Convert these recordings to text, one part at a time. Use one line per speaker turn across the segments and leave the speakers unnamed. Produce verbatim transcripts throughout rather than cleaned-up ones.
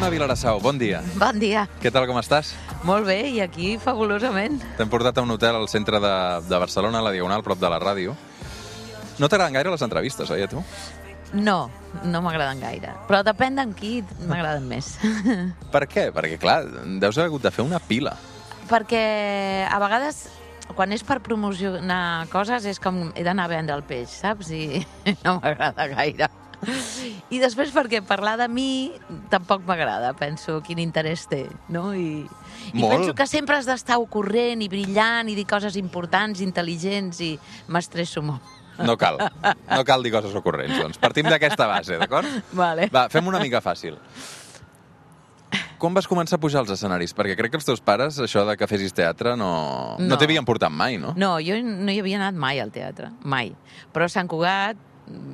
Anna Vilarassau, bon dia.
Bon dia.
Què tal, com estàs?
Molt bé, i aquí fabulosament.
T'hem portat a un hotel al centre de, de Barcelona, a la Diagonal, prop de la ràdio. No t'agraden gaire les entrevistes, oi, a tu?
No, no m'agraden gaire. Però depèn d'en qui m'agraden més.
Per què? Perquè, clar, deus haver hagut de fer una pila.
Perquè a vegades, quan és per promocionar coses, és com he d'anar a vendre el peix, saps? I no m'agrada gaire. I després perquè parlar de mi tampoc m'agrada. Penso quin interès té, no? I, i penso que sempre has d'estar ocorrent i brillant i dir coses importants, intel·ligents, i m'estresso molt.
No cal, no cal dir coses ocorrents, doncs. Partim d'aquesta base, d'acord?
Vale.
Va, fem una mica fàcil. Com vas començar a pujar als escenaris? Perquè crec que els teus pares, això de que fessis teatre, no, no. no t'havien portat mai, no?
No, jo no hi havia anat mai al teatre, mai. Però a Sant Cugat,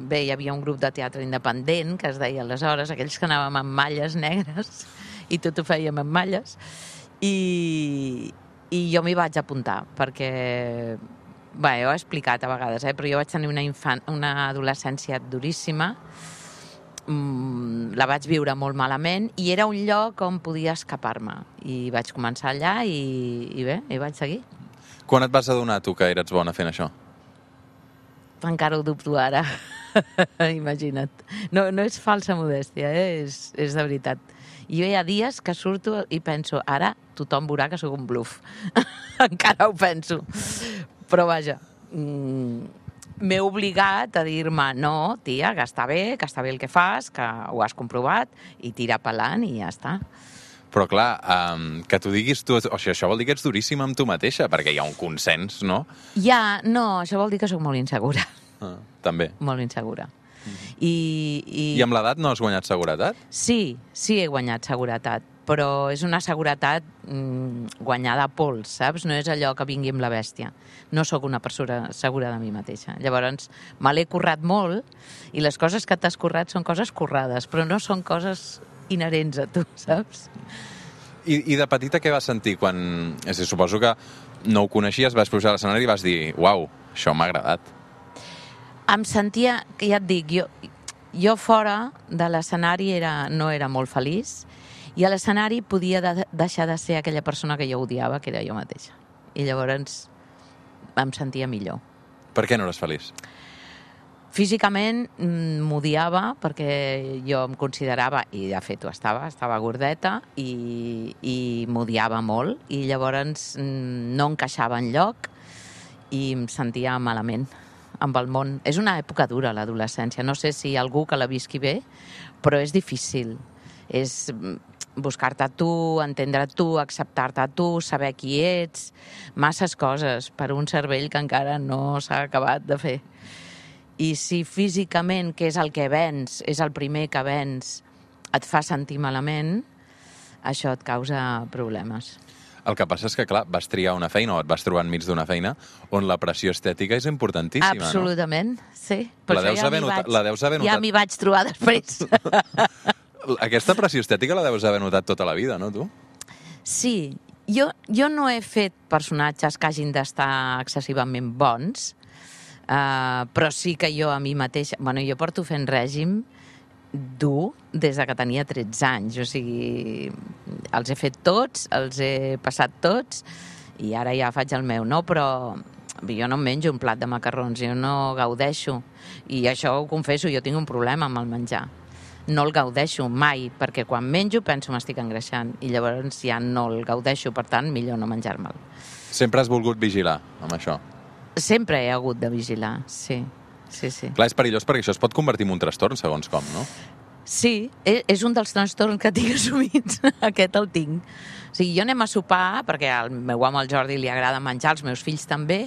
bé, hi havia un grup de teatre independent, que es deia aleshores, aquells que anàvem amb malles negres, i tot ho fèiem amb malles, i, i jo m'hi vaig apuntar, perquè... Bé, ho he explicat a vegades, eh? Però jo vaig tenir una, infant, una adolescència duríssima, mm, la vaig viure molt malament, i era un lloc on podia escapar-me. I vaig començar allà i, i bé, i vaig seguir.
Quan et vas adonar, tu, que eres bona fent això?
Encara ho dubto ara. Imagina't. No, no és falsa modèstia, eh? és, és de veritat. I jo hi ha dies que surto i penso, ara tothom veurà que sóc un bluff. Encara ho penso. Però vaja, mm, m'he obligat a dir-me, no, tia, que està bé, que està bé el que fas, que ho has comprovat, i tira pelant i ja està.
Però clar, um, que t'ho diguis tu... O sigui, això vol dir que ets duríssima amb tu mateixa, perquè hi ha un consens, no?
Ja, no, això vol dir que sóc molt insegura.
Ah, també.
Molt insegura.
Mm-hmm.
I, i...
I amb l'edat no has guanyat seguretat?
Sí, sí he guanyat seguretat, però és una seguretat mm, guanyada a pols, saps? No és allò que vingui amb la bèstia. No sóc una persona segura de mi mateixa. Llavors, me l'he currat molt, i les coses que t'has currat són coses currades, però no són coses inherents a tu, saps?
I, i de petita què vas sentir quan... És a dir, suposo que no ho coneixies, vas pujar a l'escenari i vas dir, uau, això m'ha agradat.
Em sentia, que ja et dic, jo, jo fora de l'escenari era, no era molt feliç, i a l'escenari podia de, deixar de ser aquella persona que jo odiava, que era jo mateixa. I llavors em sentia millor.
Per què no eres feliç?
Físicament m'odiava perquè jo em considerava, i de fet ho estava, estava gordeta, i, i m'odiava molt, i llavors no encaixava enlloc i em sentia malament amb el món. És una època dura, l'adolescència. No sé si algú que la visqui bé, però és difícil. És buscar-te a tu, entendre tu, acceptar-te a tu, saber qui ets, masses coses per un cervell que encara no s'ha acabat de fer. I si físicament, que és el que vens, és el primer que vens, et fa sentir malament, això et causa problemes.
El que passa és que, clar, vas triar una feina o et vas trobar enmig d'una feina on la pressió estètica és importantíssima, no?
Absolutament, sí. Per
la deus
ja
haver notat, la deus haver notat...
Ja m'hi vaig trobar després.
Aquesta pressió estètica la deus haver notat tota la vida, no, tu?
Sí. Jo, jo no he fet personatges que hagin d'estar excessivament bons, uh, però sí que jo a mi mateixa... Bueno, jo porto fent règim dur des de que tenia tretze anys. O sigui, els he fet tots, els he passat tots, i ara ja faig el meu, no? Però jo no em menjo un plat de macarrons, jo no gaudeixo. I això ho confesso, jo tinc un problema amb el menjar. No el gaudeixo mai, perquè quan menjo penso m'estic engreixant, i llavors ja no el gaudeixo, per tant, millor no menjar-me'l.
Sempre has volgut vigilar amb això?
Sempre he hagut de vigilar, sí. Sí, sí.
Clar, és perillós perquè això es pot convertir en un trastorn, segons com, no?
Sí, és un dels trastorns que tinc assumits. Aquest el tinc. O sigui, jo anem a sopar, perquè al meu home, al Jordi, li agrada menjar, als meus fills també,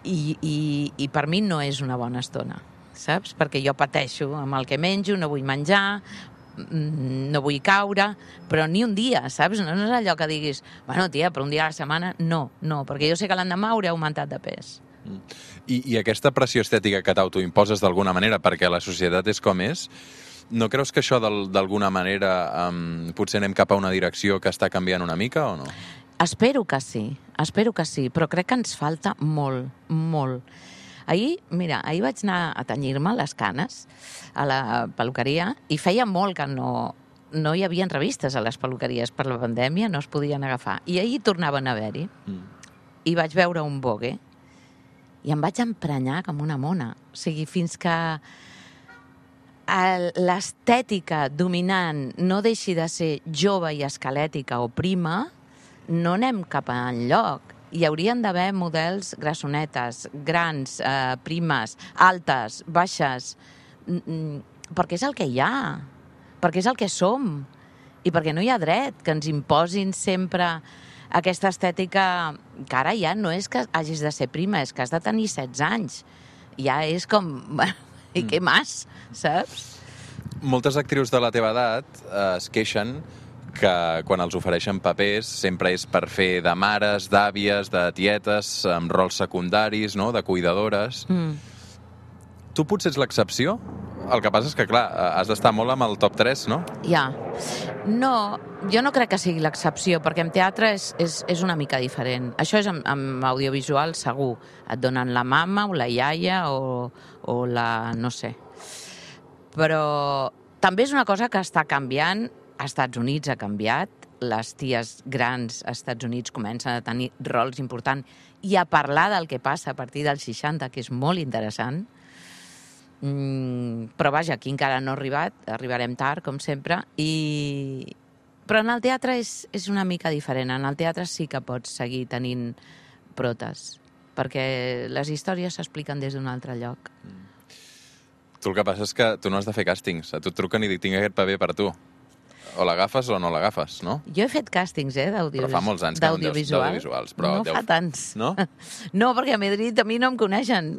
i, i, i per mi no és una bona estona, saps? Perquè jo pateixo amb el que menjo, no vull menjar, no vull caure, però ni un dia, saps? No és allò que diguis, bueno, tia, però un dia a la setmana, no, no, perquè jo sé que l'endemà hauré augmentat de pes.
I, i aquesta pressió estètica que t'autoimposes d'alguna manera perquè la societat és com és, no creus que això d'alguna manera um, potser anem cap a una direcció que està canviant una mica o no?
Espero que sí, espero que sí, però crec que ens falta molt, molt. Ahir, mira, ahir vaig anar a tenyir-me les canes a la peluqueria i feia molt que no, no hi havia revistes a les peluqueries per la pandèmia, no es podien agafar. I ahir tornaven a haver-hi. Mm. I vaig veure un Vogue i em vaig emprenyar com una mona. O sigui, fins que l'estètica dominant no deixi de ser jove i esquelètica o prima, no anem cap enlloc. Hi haurien d'haver models grassonetes, grans, eh, primes, altes, baixes, perquè és el que hi ha, perquè és el que som, i perquè no hi ha dret que ens imposin sempre aquesta estètica que ara ja no és que hagis de ser prima, és que has de tenir setze anys. Ja és com... I què més, saps?
Moltes actrius de la teva edat eh, es queixen que quan els ofereixen papers sempre és per fer de mares, d'àvies, de tietes, amb rols secundaris, no?, de cuidadores. Mm. Tu potser ets l'excepció? El que passa és que, clar, has d'estar molt amb el top tres, no?
Ja. No, jo no crec que sigui l'excepció, perquè en teatre és, és, és una mica diferent. Això és amb, amb audiovisual segur. Et donen la mama o la iaia o, o la... no sé. Però també és una cosa que està canviant. Als Estats Units ha canviat. Les ties grans als Estats Units comencen a tenir rols importants i a parlar del que passa a partir dels seixanta, que és molt interessant. Mm, però vaja, aquí encara no ha arribat, arribarem tard, com sempre, i... però en el teatre és, és una mica diferent. En el teatre sí que pots seguir tenint protes, perquè les històries s'expliquen des d'un altre lloc.
Mm. Tu el que passa és que tu no has de fer càstings, a tu et truquen i dic, tinc aquest paper per tu. O l'agafes o no l'agafes, no?
Jo he fet càstings, eh, d'audiovisuals.
Però fa molts anys que no en deus, d'audiovisuals. Però
no
deu...
fa tants.
No?
No, perquè a Madrid a mi no em coneixen.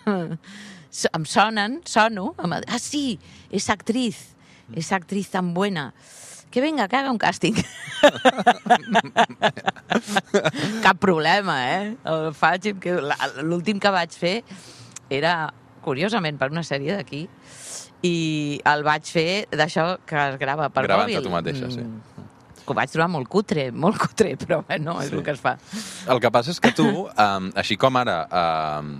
Em sonen, sono. Ah, sí, és actriz. És actriz tan buena. Que venga, que haga un càsting. Cap problema, eh? El faig, l'últim que vaig fer era, curiosament, per una sèrie d'aquí, i el vaig fer d'això que es grava per
Gravant
mòbil.
Gravant-te tu mateixa, sí.
Mm. Que ho vaig trobar molt cutre, molt cutre, però bueno, és sí. El que es fa.
El que passa és que tu, um, així com ara, um,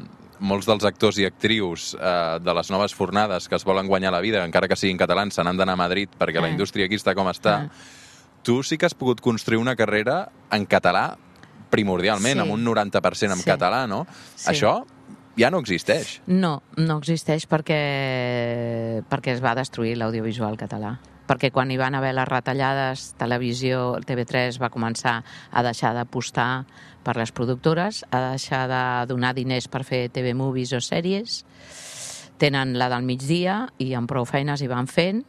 molts dels actors i actrius uh, de les noves fornades que es volen guanyar la vida, encara que siguin catalans, se n'han d'anar a Madrid perquè eh. la indústria aquí està com està, eh. tu sí que has pogut construir una carrera en català primordialment, sí. amb un noranta per cent en sí. català, no? Sí. Això ja no existeix.
No, no existeix perquè, perquè es va destruir l'audiovisual català. Perquè quan hi van haver les retallades, televisió, T V tres va començar a deixar d'apostar per les productores, a deixar de donar diners per fer T V movies o sèries. Tenen la del migdia i amb prou feines hi van fent,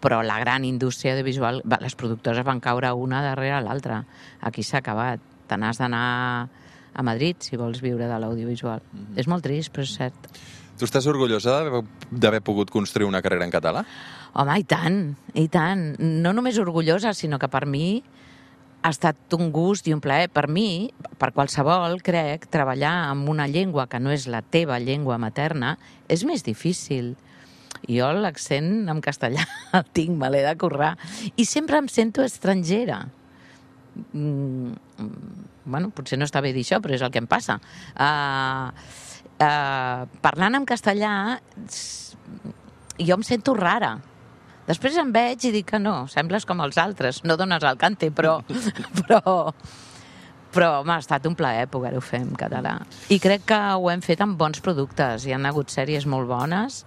però la gran indústria audiovisual, les productores van caure una darrere l'altra. Aquí s'ha acabat. Te n'has d'anar a Madrid, si vols viure de l'audiovisual. Mm-hmm. És molt trist, però és cert.
Tu estàs orgullosa d'haver pogut construir una carrera en català?
Home, i tant, i tant. No només orgullosa, sinó que per mi ha estat un gust i un plaer. Per mi, per qualsevol, crec, treballar amb una llengua que no és la teva llengua materna és més difícil. Jo l'accent en castellà el tinc, me l'he de currar. I sempre em sento estrangera. Mm, bueno, potser no està bé dir això, però és el que em passa. Uh, uh, parlant en castellà, jo em sento rara. Després em veig i dic que no, sembles com els altres, no dones el cante, però, però, però home, ha estat un plaer poder-ho fer en català. I crec que ho hem fet amb bons productes, hi ha hagut sèries molt bones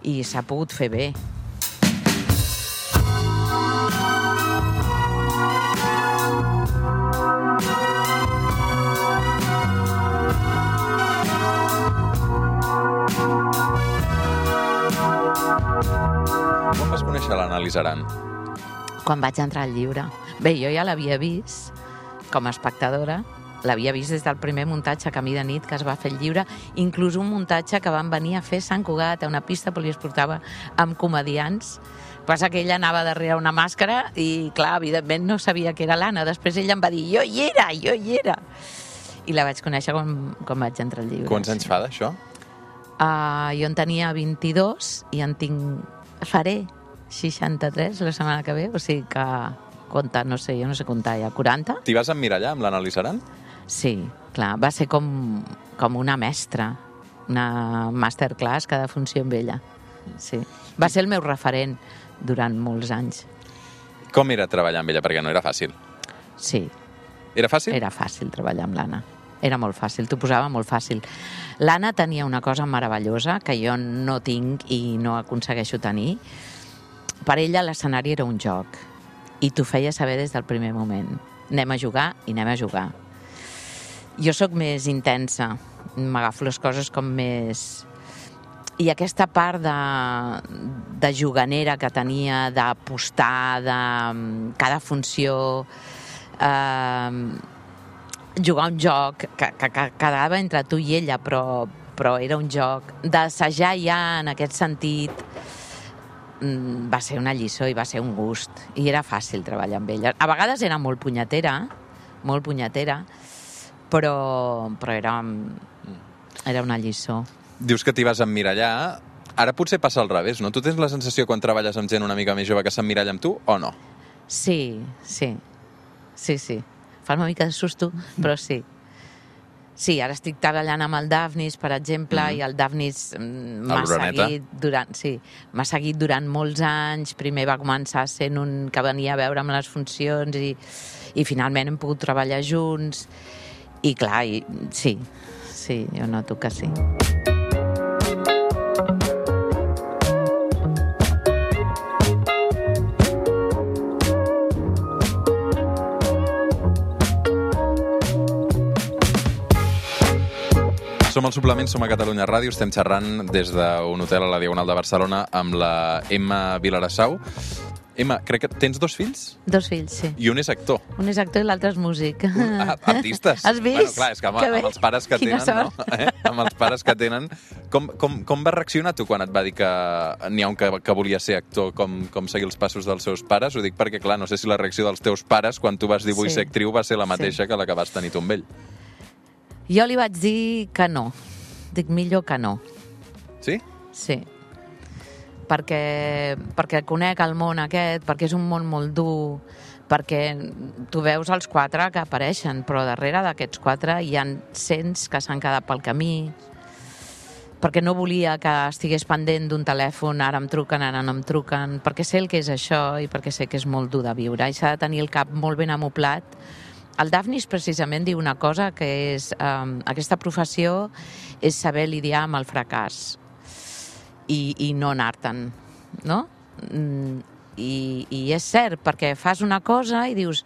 i s'ha pogut fer bé.
Quan vas conèixer l'Anna-Lisa Aran?
Quan vaig entrar al llibre. Bé, jo ja l'havia vist com a espectadora, l'havia vist des del primer muntatge Camí de nit que es va fer el llibre, inclús un muntatge que van venir a fer a Sant Cugat, a una pista poliesportiva amb comedians. Passa que ella anava darrere una màscara i, clar, evidentment no sabia que era l'Anna. Després ella em va dir, jo hi era, jo hi era. I la vaig conèixer quan, quan vaig entrar al llibre.
Quants anys fa d'això?
Uh, jo en tenia vint-i-dos i en tinc... faré seixanta-tres la setmana que ve, o sigui que compta, no sé, jo no sé comptar ja, quaranta?
T'hi vas emmirallar amb l'Anna-Lisa Aran?
Sí, clar, va ser com, com una mestra, una masterclass cada funció amb ella. Sí. Va ser el meu referent durant molts anys.
Com era treballar amb ella? Perquè no era fàcil.
Sí.
Era fàcil?
Era fàcil treballar amb l'Anna. Era molt fàcil, t'ho posava molt fàcil. L'Anna tenia una cosa meravellosa que jo no tinc i no aconsegueixo tenir. Per ella l'escenari era un joc i t'ho feia saber des del primer moment. Anem a jugar i anem a jugar. Jo sóc més intensa, m'agafo les coses com més... I aquesta part de, de juganera que tenia, d'apostar, de cada funció, eh, jugar un joc que, que, que quedava entre tu i ella, però, però era un joc, d'assajar ja en aquest sentit, va ser una lliçó i va ser un gust. I era fàcil treballar amb ella. A vegades era molt punyetera, molt punyetera, però, però era, era una lliçó.
Dius que t'hi vas emmirallar. Ara potser passa al revés, no? Tu tens la sensació quan treballes amb gent una mica més jove que s'emmiralla amb tu o no?
Sí, sí. Sí, sí. Fa una mica de susto, però sí. Sí, ara estic treballant amb el Dafnis, per exemple, mm. i el Dafnis m'ha seguit durant, sí, m'ha seguit durant molts anys. Primer va començar sent un que venia a veure'm les funcions i, i finalment hem pogut treballar junts. I clar, i, sí, sí, jo noto que sí.
Som al Suplement, som a Catalunya Ràdio, estem xerrant des d'un hotel a la Diagonal de Barcelona amb la Emma Vilarassau. Emma, crec que tens dos fills?
Dos fills, sí.
I un és actor.
Un és actor i l'altre és músic.
Ah, artistes.
Has vist?
Bueno, clar, és que amb,
que
amb els pares que
Quina
tenen,
sort.
no? Eh? Amb els pares que tenen... Com, com, com vas reaccionar tu quan et va dir que n'hi ha un que, que volia ser actor, com, com seguir els passos dels seus pares? Ho dic perquè, clar, no sé si la reacció dels teus pares quan tu vas dir vull
Sí.
ser actriu va ser la mateixa
Sí.
que la que vas tenir tu amb ell.
Jo li vaig dir que no. Dic millor que no.
Sí?
Sí. Perquè, perquè conec el món aquest, perquè és un món molt dur, perquè tu veus els quatre que apareixen, però darrere d'aquests quatre hi ha cents que s'han quedat pel camí, perquè no volia que estigués pendent d'un telèfon, ara em truquen, ara no em truquen, perquè sé el que és això i perquè sé que és molt dur de viure i s'ha de tenir el cap molt ben amoplat. El Dafnis precisament diu una cosa que és eh, aquesta professió és saber lidiar amb el fracàs i, i no anar-te'n, no? I, I és cert, perquè fas una cosa i dius,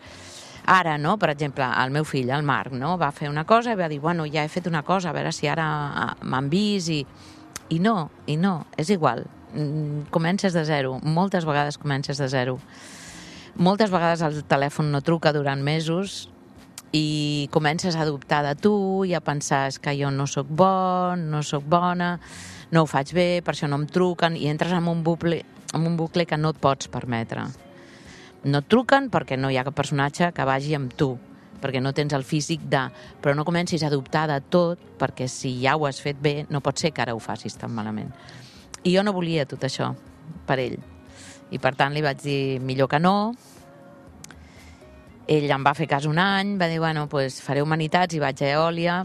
ara, no? Per exemple, el meu fill, el Marc, no? Va fer una cosa i va dir, bueno, ja he fet una cosa, a veure si ara m'han vist i... I no, i no, és igual. Comences de zero, moltes vegades comences de zero. Moltes vegades el telèfon no truca durant mesos i comences a dubtar de tu i a pensar és que jo no sóc bon, no sóc bona, no ho faig bé, per això no em truquen, i entres en un bucle, en un bucle que no et pots permetre. No et truquen perquè no hi ha cap personatge que vagi amb tu, perquè no tens el físic de... Però no comencis a dubtar de tot, perquè si ja ho has fet bé, no pot ser que ara ho facis tan malament. I jo no volia tot això per ell. I per tant li vaig dir millor que no. Ell em va fer cas un any, va dir, bueno, pues faré humanitats i vaig a Eòlia.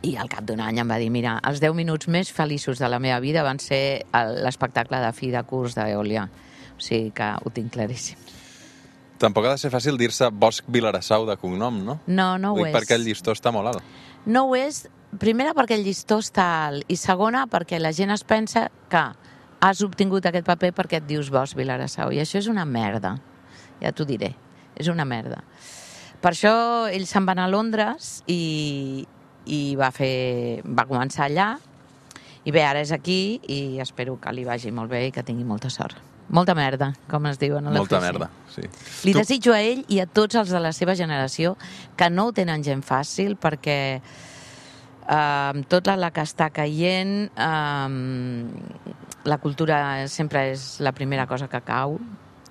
I al cap d'un any em va dir, mira, els deu minuts més feliços de la meva vida van ser l'espectacle de fi de curs d'Eòlia. O sigui que ho tinc claríssim.
Tampoc ha de ser fàcil dir-se Bosch Vilarassau de cognom, no?
No, no ho,
ho dic
és.
perquè el llistó està molt alt.
No ho és, primera perquè el llistó està alt i segona perquè la gent es pensa que has obtingut aquest paper perquè et dius Bosch Vilarassau i això és una merda, ja t'ho diré, és una merda. Per això ell se'n va anar a Londres i, i va, fer, va començar allà i bé, ara és aquí i espero que li vagi molt bé i que tingui molta sort. Molta merda, com es diuen a la
Molta
oficina.
merda, sí.
Li
Tu-
desitjo a ell i a tots els de la seva generació que no ho tenen gent fàcil perquè eh, amb tota la que està caient eh, la cultura sempre és la primera cosa que cau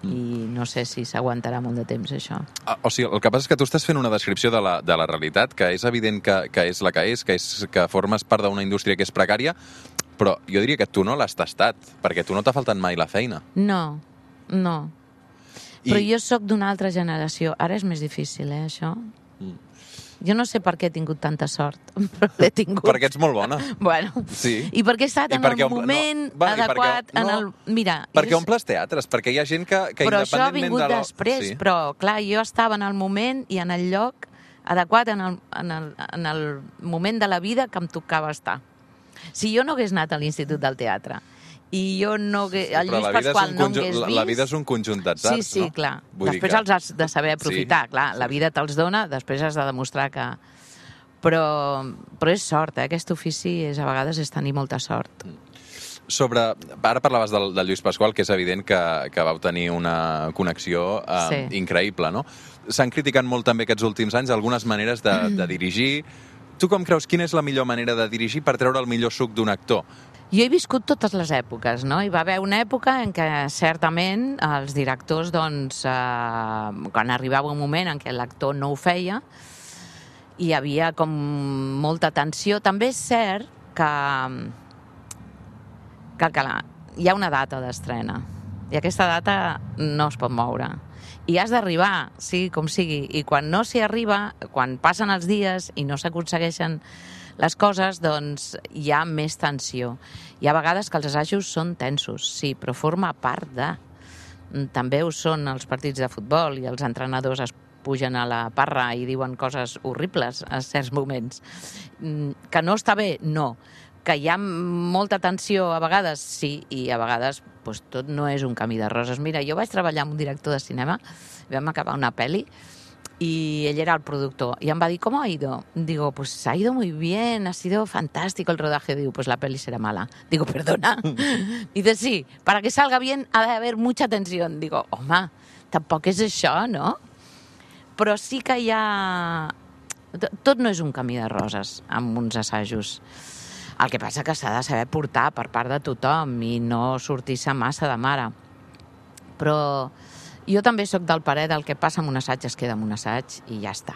i no sé si s'aguantarà molt de temps això.
Ah, O sigui, el que passa és que tu estàs fent una descripció de la, de la realitat, que és evident que, que és la que és, que és que formes part d'una indústria que és precària, però jo diria que tu no l'has tastat, perquè tu no t'ha faltat mai la feina.
No, no.
I-
Però jo sóc d'una altra generació. Ara és més difícil, eh, això? Jo no sé per què he tingut tanta sort, però l'he tingut.
Perquè ets molt bona.
Bueno,
sí.
I perquè he estat I en el moment no, va, adequat, perquè, no, en el... Mira...
Perquè
és...
omples teatres, perquè hi ha gent que, que
però
independentment de...
Però això ha vingut de després, sí. Però clar, jo estava en el moment i en el lloc adequat, en el, en el, en el moment de la vida que em tocava estar. Si jo no hagués anat a l'Institut del Teatre i jo no... Sí, el Lluís Pasqual no hagués vist...
La vida és un conjunt d'atzars, no?
Sí, sí, no? Clar. Vull després que... els has de saber aprofitar, sí, clar. Sí. La vida te'ls dona, després has de demostrar que... Però, però és sort, eh? Aquest ofici és, a vegades és tenir molta sort.
Sobre... Ara parlaves del, del Lluís Pasqual, que és evident que, que vau tenir una connexió eh, sí. increïble, no? S'han criticat molt també aquests últims anys algunes maneres de, de dirigir. Tu com creus, quina és la millor manera de dirigir per treure el millor suc d'un actor?
Jo he viscut totes les èpoques, no? Hi va haver una època en què, certament, els directors, doncs, eh, quan arribava un moment en què l'actor no ho feia, hi havia com molta tensió. També és cert que, que, que la, hi ha una data d'estrena, i aquesta data no es pot moure. I has d'arribar, sigui com sigui, i quan no s'hi arriba, quan passen els dies i no s'aconsegueixen les coses, doncs hi ha més tensió. Hi ha vegades que els assajos són tensos, sí, però forma part de... També ho són els partits de futbol i els entrenadors es pugen a la parra i diuen coses horribles a certs moments. Que no està bé? No. Que hi ha molta tensió a vegades? Sí, i a vegades doncs, tot no és un camí de roses. Mira, jo vaig treballar amb un director de cinema, vam acabar una pel·li, y ell era el productor. Y em va dir, ¿cómo ha ido? Digo, pues ha ido muy bien, ha sido fantástico el rodaje. Digo, pues la peli será mala. Digo, perdona. Dice, sí, para que salga bien ha de haber mucha tensión. Digo, home, tampoc és això, no? Però sí que hi ha... Tot no és un camí de roses amb uns assajos. El que passa que s'ha de saber portar per part de tothom i no sortir-se massa de mare. Però... jo també sóc del parer del que passa amb un assaig es queda amb un assaig i ja està.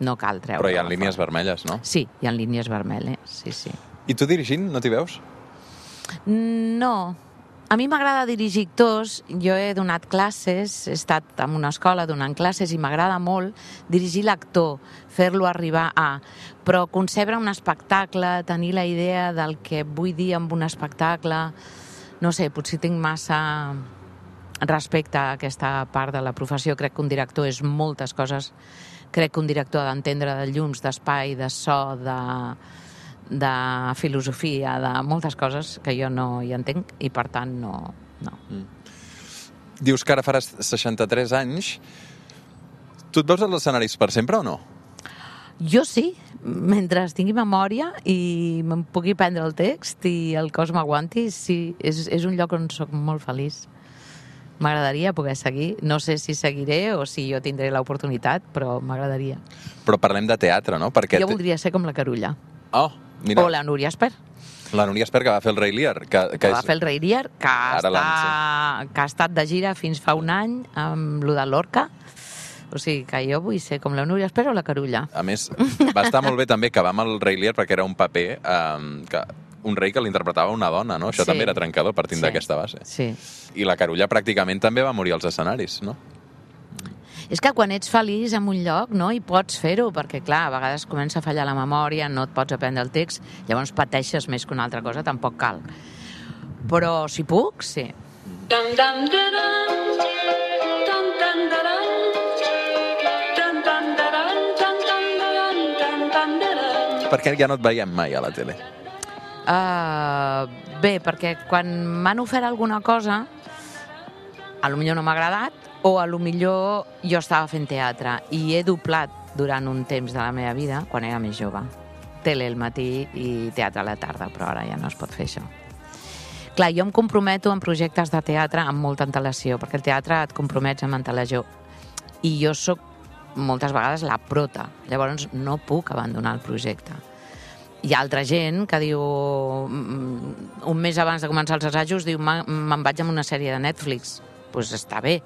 No cal treure.
Però hi ha línies vermelles, no?
Sí, hi ha línies vermelles, sí, sí.
I tu dirigint, no t'hi veus?
No. A mi m'agrada dirigir actors. Jo he donat classes, he estat en una escola donant classes i m'agrada molt dirigir l'actor, fer-lo arribar a... Però concebre un espectacle, tenir la idea del que vull dir amb un espectacle... No sé, potser tinc massa... respecte a aquesta part de la professió. Crec que un director és moltes coses. Crec que un director ha d'entendre de llums, d'espai, de so, de, de filosofia, de moltes coses que jo no hi entenc i, per tant, no... no. Mm.
Dius que ara faràs seixanta-tres anys. Tu et veus als escenaris per sempre o no?
Jo sí, mentre tingui memòria i me'n pugui prendre el text i el cos m'aguanti, sí, és, és un lloc on soc molt feliç. M'agradaria poder seguir. No sé si seguiré o si jo tindré l'oportunitat, però m'agradaria.
Però parlem de teatre, no? Perquè
jo voldria ser com la Carulla.
Oh, mira.
O la Núria Esper.
La Núria Esper, que va fer el Rei Lear. Que, que,
que
és...
va fer el Rei Lear, que, està... que ha estat de gira fins fa un any amb lo de l'Orca. O sigui, que jo vull ser com la Núria Esper o la Carulla.
A més, va estar molt bé també que va amb el Rei Lear perquè era un paper... Um, que un rei que l'interpretava una dona, no? Això sí. També era trencador partint sí. d'aquesta base.
Sí.
I la Carulla pràcticament també va morir als escenaris, no?
És que quan ets feliç en un lloc, no, i pots fer-ho, perquè, clar, a vegades comença a fallar la memòria, no et pots aprendre el text, llavors pateixes més que una altra cosa, tampoc cal. Però si puc, sí.
Per què ja no et veiem mai a la tele?
Uh, bé, perquè quan m'han ofert alguna cosa, a lo millor no m'ha agradat, o a lo millor jo estava fent teatre i he doblat durant un temps de la meva vida, quan era més jove. Tele al matí i teatre a la tarda, però ara ja no es pot fer això. Clar, jo em comprometo en projectes de teatre amb molta antelació, perquè el teatre et compromets amb antelació. I jo sóc moltes vegades la prota, llavors no puc abandonar el projecte. Hi ha altra gent que diu, un mes abans de començar els assajos, diu, me'n vaig amb una sèrie de Netflix. Doncs pues està bé,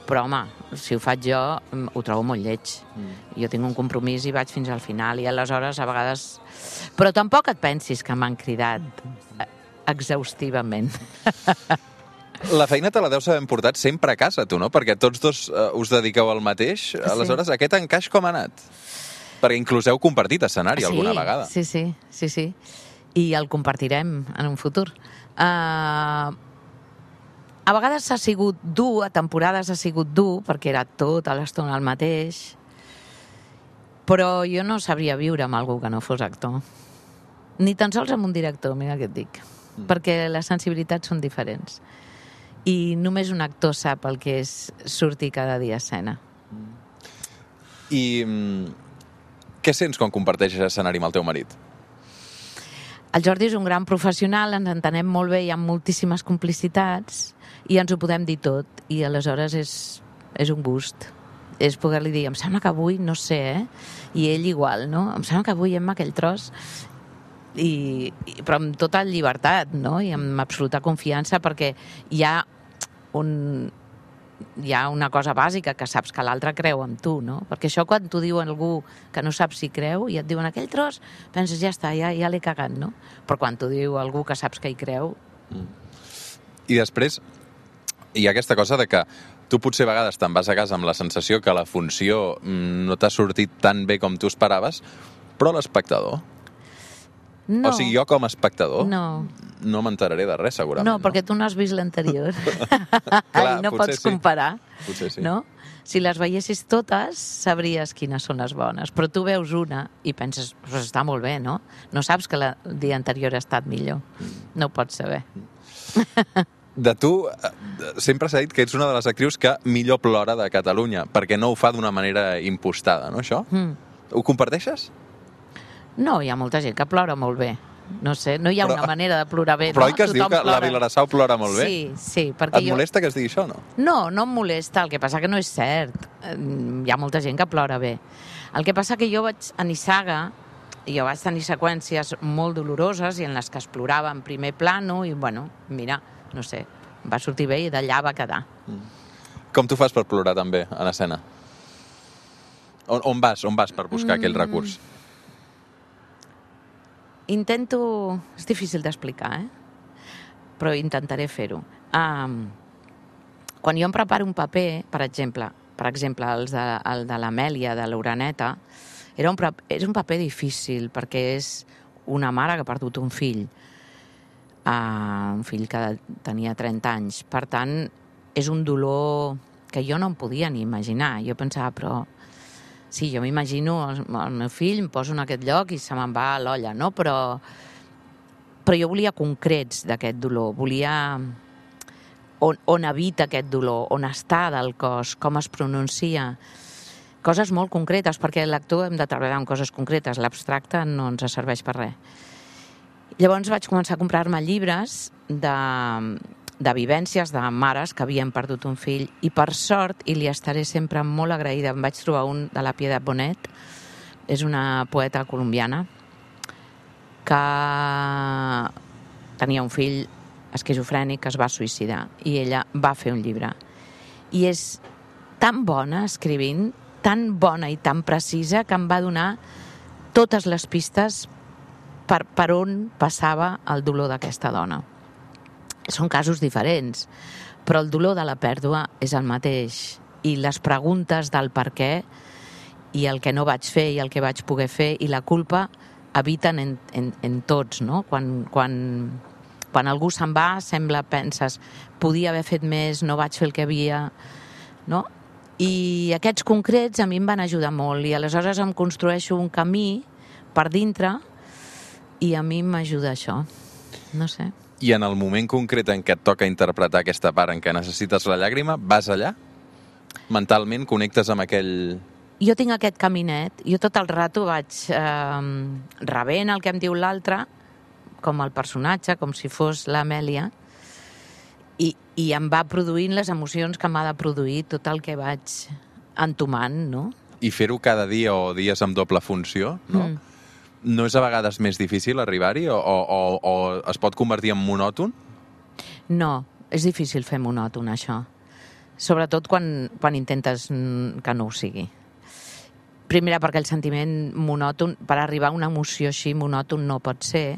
però home, si ho faig jo, ho trobo molt lleig. Mm. Jo tinc un compromís i vaig fins al final, i aleshores a vegades... Però tampoc et pensis que m'han cridat exhaustivament.
La feina te la deus haver portat sempre a casa, tu, no? Perquè tots dos uh, us dediqueu al mateix. Aleshores, sí. Aquest encaix com ha anat? Perquè inclús heu compartit escenari
sí,
alguna vegada.
Sí, sí, sí, sí. I el compartirem en un futur. Uh, a vegades ha sigut dur, a temporades ha sigut dur, perquè era tota l'estona el mateix, però jo no sabria viure amb algú que no fos actor. Ni tan sols amb un director, mira què et dic. Mm. Perquè les sensibilitats són diferents. I només un actor sap el que és sortir cada dia a escena.
I mm, què sents quan comparteixes escenari amb el teu marit?
El Jordi és un gran professional, ens entenem molt bé, hi ha moltíssimes complicitats i ens ho podem dir tot. I aleshores és, és un gust. És poder-li dir, em sembla que avui, no sé, eh? I ell igual, no? Em sembla que avui hem aquell tros... I, i, però amb tota llibertat, no? I amb absoluta confiança, perquè hi ha un... hi ha una cosa bàsica, que saps que l'altre creu en tu, no? Perquè això quan t'ho diu algú que no saps si creu i et diuen aquell tros, penses, ja està, ja, ja l'he cagat, no? Però quan t'ho diu algú que saps que hi creu...
Mm. I després hi ha aquesta cosa de que tu potser a vegades te'n vas a casa amb la sensació que la funció no t'ha sortit tan bé com tu esperaves, però l'espectador...
No.
O sigui, jo com a espectador
no,
no m'enteraré de res, segurament.
No, perquè tu no has vist l'anterior.
Clar,
no pots
sí.
comparar.
Potser sí.
No? Si les veiessis totes, sabries quines són les bones. Però tu veus una i penses, pues està molt bé, no? No saps que la, el dia anterior ha estat millor. No ho pots saber.
De tu, sempre s'ha dit que ets una de les actrius que millor plora de Catalunya, perquè no ho fa d'una manera impostada, no, això? Mm. Ho comparteixes?
No, hi ha molta gent que plora molt bé. No sé, no hi ha però, una manera de plorar bé.
Però
no?
oi que es
Tothom
diu que
plora.
la Vilarassau plora molt bé?
Sí, sí. Perquè
Et
jo...
molesta que es digui això, no?
No, no em molesta. El que passa que no és cert. Hi ha molta gent que plora bé. El que passa que jo vaig a Nissaga i jo vaig tenir seqüències molt doloroses i en les que es plorava en primer plano i, bueno, mira, no sé, va sortir bé i d'allà va quedar. Mm.
Com tu fas per plorar també en escena? On, on vas? On vas per buscar mm. aquell recurs?
Intento... És difícil d'explicar, eh? Però intentaré fer-ho. Um, quan jo em preparo un paper, per exemple, per exemple, el de, el de l'Amèlia, de l'Uraneta, era un, és un paper difícil, perquè és una mare que ha perdut un fill, uh, un fill que tenia trenta anys. Per tant, és un dolor que jo no em podia ni imaginar. Jo pensava, però... Sí, jo m'imagino el, el meu fill, em poso en aquest lloc i se me'n va a l'olla, no? Però, però jo volia concrets d'aquest dolor, volia on, on habita aquest dolor, on està del cos, com es pronuncia, coses molt concretes, perquè l'actor hem de treballar amb coses concretes, l'abstracte no ens serveix per res. Llavors vaig començar a comprar-me llibres de... de vivències de mares que havien perdut un fill i per sort, i li estaré sempre molt agraïda, em vaig trobar un de la Piedad Bonet, és una poeta colombiana que tenia un fill esquizofrènic que es va suïcidar i ella va fer un llibre i és tan bona escrivint, tan bona i tan precisa que em va donar totes les pistes per, per on passava el dolor d'aquesta dona. Són casos diferents, però el dolor de la pèrdua és el mateix i les preguntes del per què i el que no vaig fer i el que vaig poder fer i la culpa habiten en, en, en tots, no? Quan, quan, quan algú se'n va, sembla, penses, podia haver fet més, no vaig fer el que havia, no? I aquests concrets a mi em van ajudar molt i aleshores em construeixo un camí per dintre i a mi m'ajuda això, no sé.
I en el moment concret en què et toca interpretar aquesta part en què necessites la llàgrima, vas allà? Mentalment connectes amb aquell...
Jo tinc aquest caminet, jo tot el rato vaig eh, rebent el que em diu l'altre, com el personatge, com si fos l'Amèlia, i, i em va produint les emocions que m'ha de produir tot el que vaig entomant, no?
I fer-ho cada dia o dies amb doble funció, no? Mm. No és a vegades més difícil arribar-hi o, o, o es pot convertir en monòton?
No, és difícil fer monòton, això. Sobretot quan, quan intentes que no ho sigui. Primera, perquè el sentiment monòton, per arribar a una emoció així, monòton no pot ser.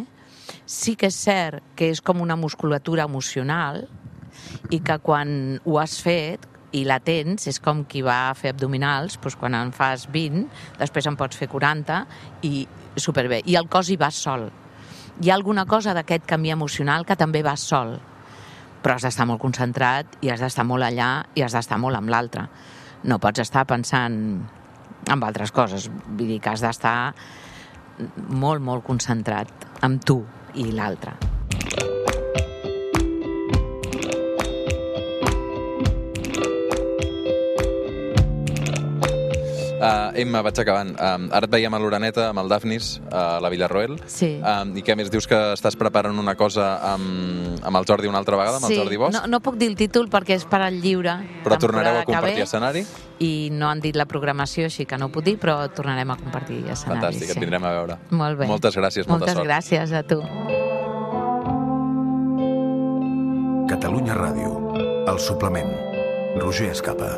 Sí que és cert que és com una musculatura emocional i que quan ho has fet i la tens, és com qui va a fer abdominals, doncs quan en fas vint, després en pots fer quaranta i superbé. I el cos hi va sol. Hi ha alguna cosa d'aquest canvi emocional que també va sol, però has d'estar molt concentrat i has d'estar molt allà i has d'estar molt amb l'altre. No pots estar pensant en altres coses, vull dir que has d'estar molt, molt concentrat amb tu i l'altre.
Uh, Emma, vaig acabant. Um, ara et veiem a l'Oreneta amb el Dafnis, a la Villarroel.
Sí.
Um, I què més? Dius que estàs preparant una cosa amb, amb el Jordi una altra vegada, amb
sí.
el Jordi Bosch?
No, no puc dir el títol perquè és per al lliure.
Però tornareu a compartir escenari?
I no han dit la programació, així que no ho puc dir, però tornarem a compartir escenari.
Fantàstic,
sí.
Et vindrem a veure.
Molt bé.
Moltes gràcies, molta
Moltes
sort.
Moltes gràcies a tu.
Catalunya Ràdio, El Suplement, Roger Escapa.